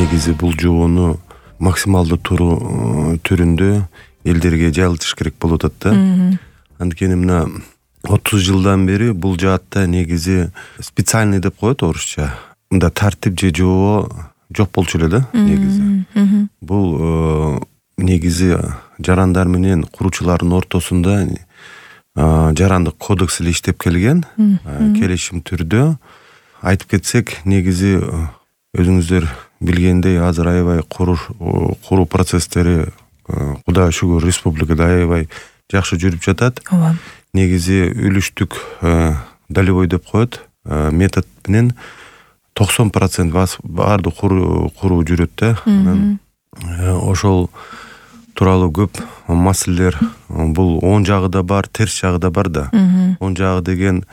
негизи бул жобону максималдуу түрүндө элдерге жайылтыш керек болуп атат да. Анткени мына 30 жылдан бери бул жаатта негизи специальный деп коет орусча. Мында тартип же жобо жок болчу эле да негизи. Бул негизи жарандар менен куруучулардын ортосунда жарандык кодекс эле иштеп келген. Келишим түрдө айтып кетсек, негизи өзүңүздөр билгендей азыр аябай куруу процесстери Кудайга шүгүр республикада аябай жакшы жүрүп жатат. Негизи үлүштүк долевой деп коет метод менен 90% баардык куруу жүрөт да. Ошол тууралуу көп маселелер, бул оң жагы да бар, терс жагы да бар да. Оң жагы деген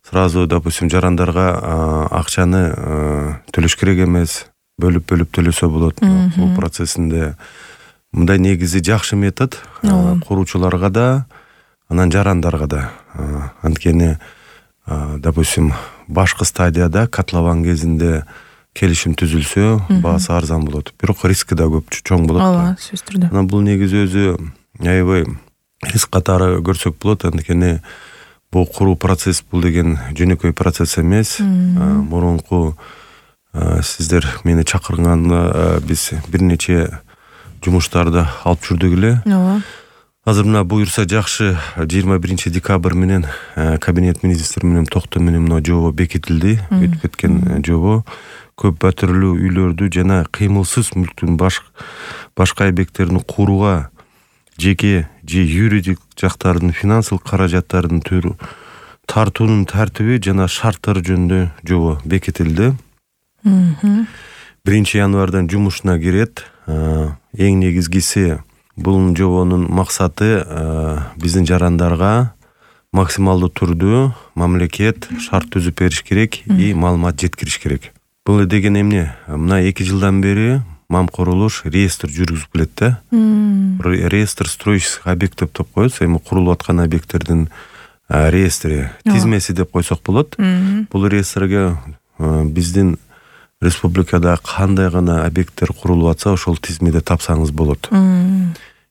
сразу, допустим, жарандарга акчаны төлөш керек эмес, бөлүп төлөсө болот бул процессинде. Мындай негизи жакшы метод куруучуларга да, анан жарандарга да. Анткени, допустим, башкы стадияда котлован кезинде келишим түзүлсө, баасы арзан болот. Бирок риски да көп, чоң болот. Ооба, сөзсүз түрдө. Анан бул негизи өзү аябай риск катары көрсөк болот. Анткени бул куруу процесс, бул деген жөнөкөй процесс эмес. Мурунку сиздер мени чакырганда биз бир нече жумуштарды алып жүрдүк эле. Азыр мына буюрса жакшы 21 декабрь менен кабинет министр менен токто менен мына жобо бекитилди. Өтүп кеткен жобо көп батирлүү үйлөрдү жана кыймылсыз мүлктүн башка объекттерин курууга жеке же юридик жактардын финансылык каражаттардын тартуунун тартиби жана шарттары жөнүндө жобо бекитилди. 1 январдан жумушуна кирет. Эң негизгиси бул жобонун максаты биздин жарандарга максималдуу түрдө мамлекет шарт түзүп бериш керек и маалымат жеткириш керек. Бул деген эмне? Мына 2 жылдан бери Мамкурулуш реестр жүргүзүп келет да. Реестр строительных объектов деп коет, эми курулуп аткан объекттердин реестри, тизмеси деп койсок болот. Бул реестрге биздин республикада кандай гана объекттер курулуп атса, ошол тизмеде тапсаңыз болот.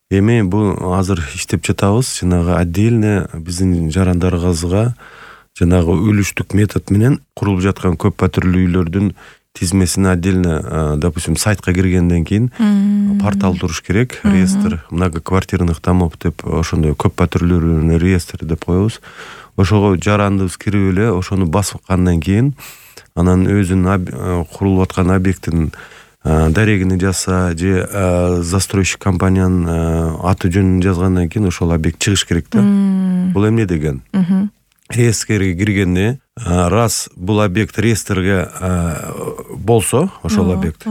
Эми бул азыр иштеп жатабыз, жанагы отдельно биздин жарандарыбызга жанагы үлүштүк метод менен курулуп жаткан көп батирлүү үйлөрдүн тизмесин отдельно, допустим, сайтка киргенден кийин портал туруш керек, реестр многоквартирных домов деп, ошондой көп батирлүүнүн реестри деп коебуз. Ошого жарандыбыз кирип эле, ошону баскандан кийин анан өзүнүн курулуп аткан объекттин дарегини жазса же застройщик компаниянын аты жөнүн жазгандан кийин ошол объект чыгыш керек да. Бул эмне деген? Реестрге киргенде, раз бул объект реестрге болсо, ошол объект,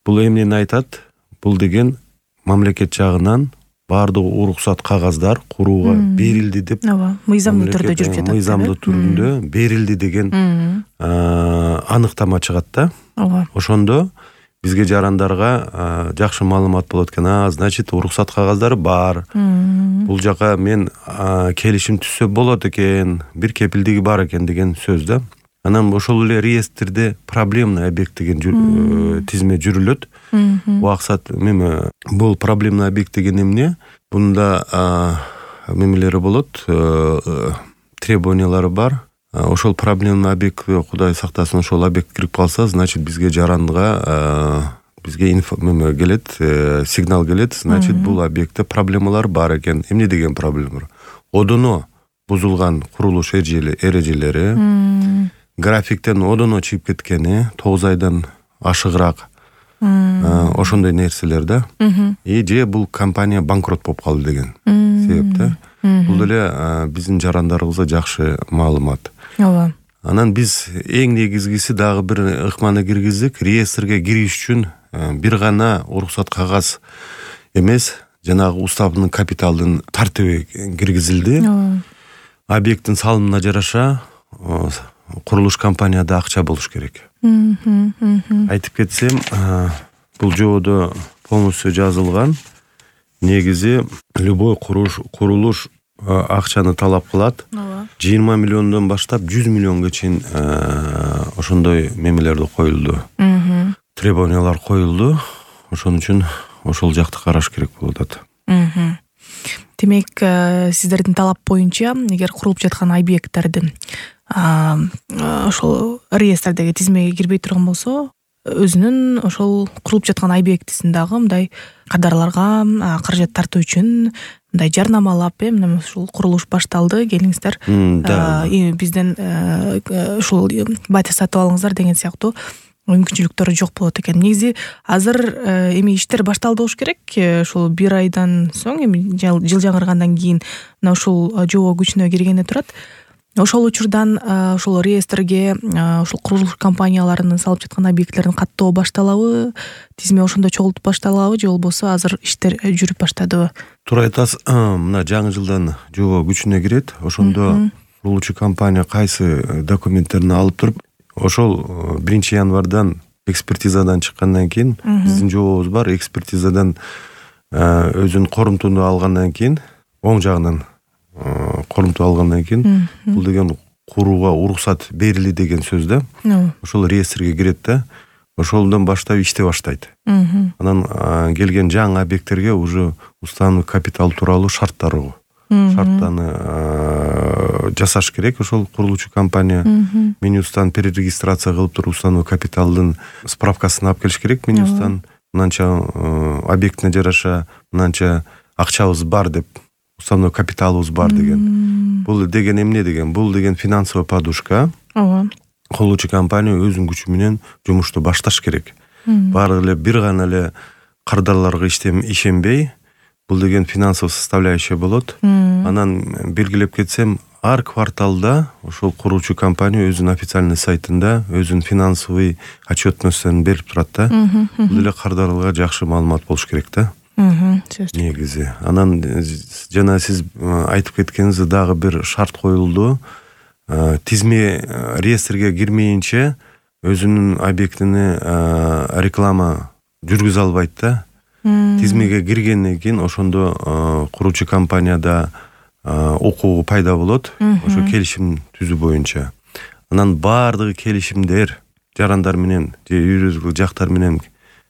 бул эмнени айтат? Бул деген мамлекет жагынан баардык уруксат кагаздар курууга берилди деп, мыйзамдуу түрдө жүрүп жатат. Мыйзамдуу түрүндө берилди деген аныктама чыгат да. Ошондо бизге жарандарга жакшы маалымат болот экен. Значит, уруксат кагаздары бар. Бул жака мен келишим түзсө болот экен, бир кепилдиги бар экен деген сөз да. Анан ошол эле реестрде проблемный объект деген тизме жүрүлөт. Убаксат бул проблемный объект деген эмне? Бунда мемелери болот, требованиялары бар. Ошол проблемный объект, Кудай сактасын, ошол объект кирип калса, значит, бизге жаранга бизге келет, сигнал келет, значит, бул объектте проблемалар бар экен. Эмне деген проблемалар? Одоно бузулган курулуш эрежелери, графиктен одоно чыгып кеткени, 9 айдан ашыгыраак, ошондой нерселер да. И же бул компания банкрот болуп калды деген себеп да. Бул эле биздин жарандарыбызга жакшы маалымат. Анан биз эң негизгиси дагы бир ыкманы киргиздик. Реестрге кириш үчүн бир гана уруксат кагаз эмес, жанагы уставдын капиталдын тартиби киргизилди. Объекттин салымына жараша курулуш компанияда акча болуш керек. Айтып кетсем, бул жободо полностью жазылган. Негизи любой курулуш акчаны талап кылат. 20 миллиондон баштап 100 миллионго чейин ошондой мемелерди коюлду. требованиялар коюлду. Ошон үчүн ошол жакты караш керек болуп атат. Демек, сиздердин талап боюнча эгер курулуп жаткан объекттердин ошол реестрдеги тизмеге кирбей турган болсо, өзүнүн ошол курулуп жаткан объектисин дагы мындай кадрларга каражат тартуу үчүн мындай жарнамалап, мына ушул курулуш башталды, келиңиздер, бизден ушул батя сатып алыңыздар деген сыяктуу мүмкүнчүлүктөр жок болот экен. Негизи азыр эми иштер башталды болуш керек. Ушул 1 айдан соң, эми жыл жаңыргандан кийин мына ушул жобо күчүнө киргене турат. Ошол учурдан ошол реестрге ушул курулуш компанияларынын салып жаткан объекттерин каттоо башталабы, тизме ошондо чогултуп башталабы же болбосо азыр иштер жүрүп баштадыбы? Туура айтасыз. Мына жаңы жылдан жобо күчүнө кирет. Ошондо курулуучу компания кайсы документтерин алып туруп, ошол 1 январдан экспертизадан чыккандан кийин биздин жобобуз бар. Экспертизадан өзүнүн корунтууну алгандан кийин, оң жагынан корунтуу алгандан кийин бул деген курууга уруксат берили деген сөз да. Ошол реестрге кирет да. Ошолдон баштап иштей баштайт. Анан келген жаңы объекттерге уже уставный капитал тууралуу шарттарды жасаш керек. Ошол курулуучу компания Минюстан перерегистрация кылып туруп уставный капиталдын справкасын алып келиш керек. Минюстан мынанча объектине жараша мынанча акчабыз бар деп, уставной капиталыбыз бар деген. Бул деген эмне деген? Бул деген финансовый подушка. Курулуучу компания өзүнүн күчү менен жумушту башташ керек. Баары эле бир гана эле кардарларга ишенбей, бул деген финансовый составляющая болот. Анан белгилеп кетсем, ар кварталда ошол курулуучу компания өзүнүн официальный сайтында өзүнүн финансовый отчетностун берип турат да. Бул эле кардарларга жакшы маалымат болуш керек да. Негизи. Анан жана сиз айтып кеткениңиз дагы бир шарт коюлду. Тизме реестрге кирмейинче өзүнүн объектини реклама жүргүзө албайт да. Тизмеге киргенден кийин ошондо курулуучу компанияда укугу пайда болот. Ошо келишим түзүү боюнча. Анан баардыгы келишимдер жарандар менен же юридикалык жактар менен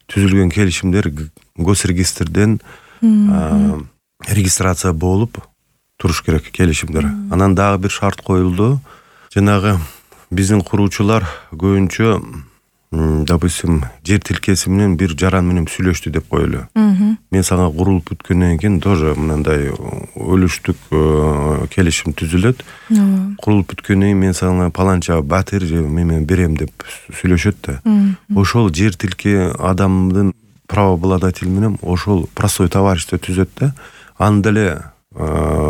түзүлгөн келишимдер госрегистрден регистрация болуп туруш керек келишимдер. Анан дагы бир шарт коюлду. Жанагы биздин куруучулар көбүнчө, допустим, жер тилкеси менен бир жаран менен сүйлөштү деп коелу. Мен сага курулуп бүткөндөн кийин тоже мындай өлүштүк келишим түзүлөт. Курулуп бүткөндөн кийин мен сага паланча батир же мен берем деп сүйлөшөт да. Ошол жер тилке адамдын правообладатель менен ошол простой товарищество түзөт да. Анда эле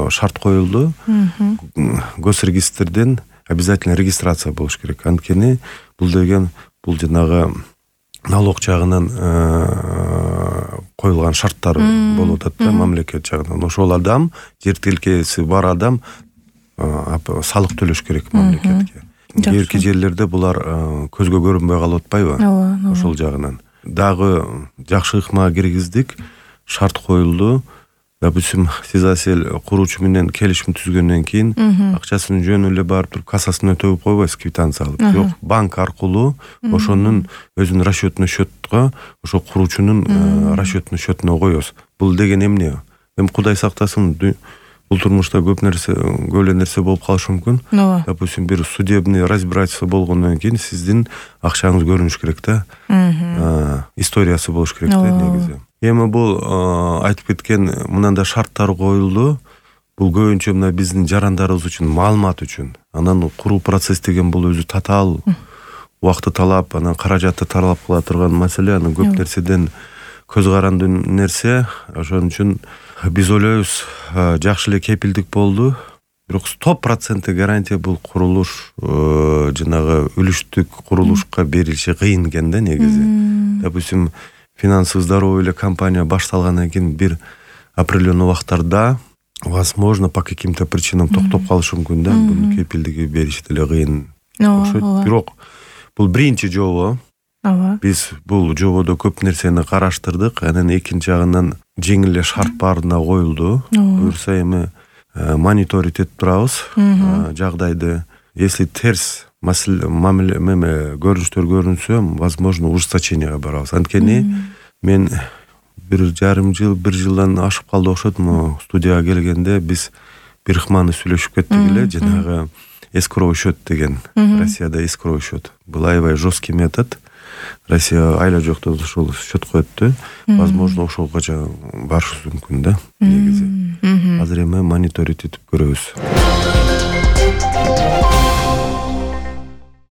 шарт коюлду. Госрегистрден обязательно регистрация болуш керек. Анткени бул деген бул жанагы налог жагынан коюлган шарттар болуп атат да, мамлекет жагынан. Ошол адам, жер тилкеси бар адам салык төлөш керек мамлекетке. Кээки жерлерде булар көзгө көрүнбөй калып атпайбы? Ошол жагынан. Дагы жакшы ыкмага киргиздик, шарт коюлду. Допустим, сиз асель куруучу менен келишим түзгөндөн кийин акчасын жөн эле барып туруп кассасына өтөп койбойсуз, квитанция алып. Жок, банк аркылуу ошонун өзүнүн расчетный счетко, ошо куруучунун расчетный счетуна коесуз. Бул деген эмне? Эми Кудай сактасын, бул турмушта көп эле нерсе болуп калышы мүмкүн. Допустим, бир судебный разбирательство болгондон кийин сиздин акчаңыз көрүнүш керек да. Историясы болуш керек да негизи. Эми бул айтып кеткен мынандай шарттар коюлду. Бул көбүнчө мына биздин жарандарыбыз үчүн, маалымат үчүн. Анан куруу процесс деген бул өзү татаал убакытты талап, анан каражатты талап кыла турган маселе, анан көп нерседен көз каранды нерсе. Ошон үчүн биз ойлойбуз, жакшы эле кепилдик болду. Бирок 100% гарантия бул курулуш жанагы үлүштүк курулушка берилиши кыйын экен да негизи. Допустим, финансовый здоровый эле компания башталгандан кийин бир определенный убактарда возможно по каким-то причинам токтоп калышы мүмкүн да. Бунун кепилдиги бериши деле кыйын окшойт. Бирок бул биринчи жобо. Биз бул жободо көп нерсени караштырдык. Анан экинчи жагынан жеңил эле шарт баарына коюлду. Буюрса эми мониторить этип турабыз жагдайды. Если терс көрүнүштөр көрүнсө, возможно, ужесточенияга барабыз. Анткени мен 1,5 жылдан ашып калды окшойт. Могу студияга келгенде биз бир ыкманы сүйлөшүп кеттик эле, жанагы escrow счет деген. Россияда escrow счет. Бул аябай жесткий метод. Россия айла жоктон ошол счет коет да. Возможно, ошолгоча барышыбыз мүмкүн да, негизи. Азыр эми мониторить этип көрөбүз.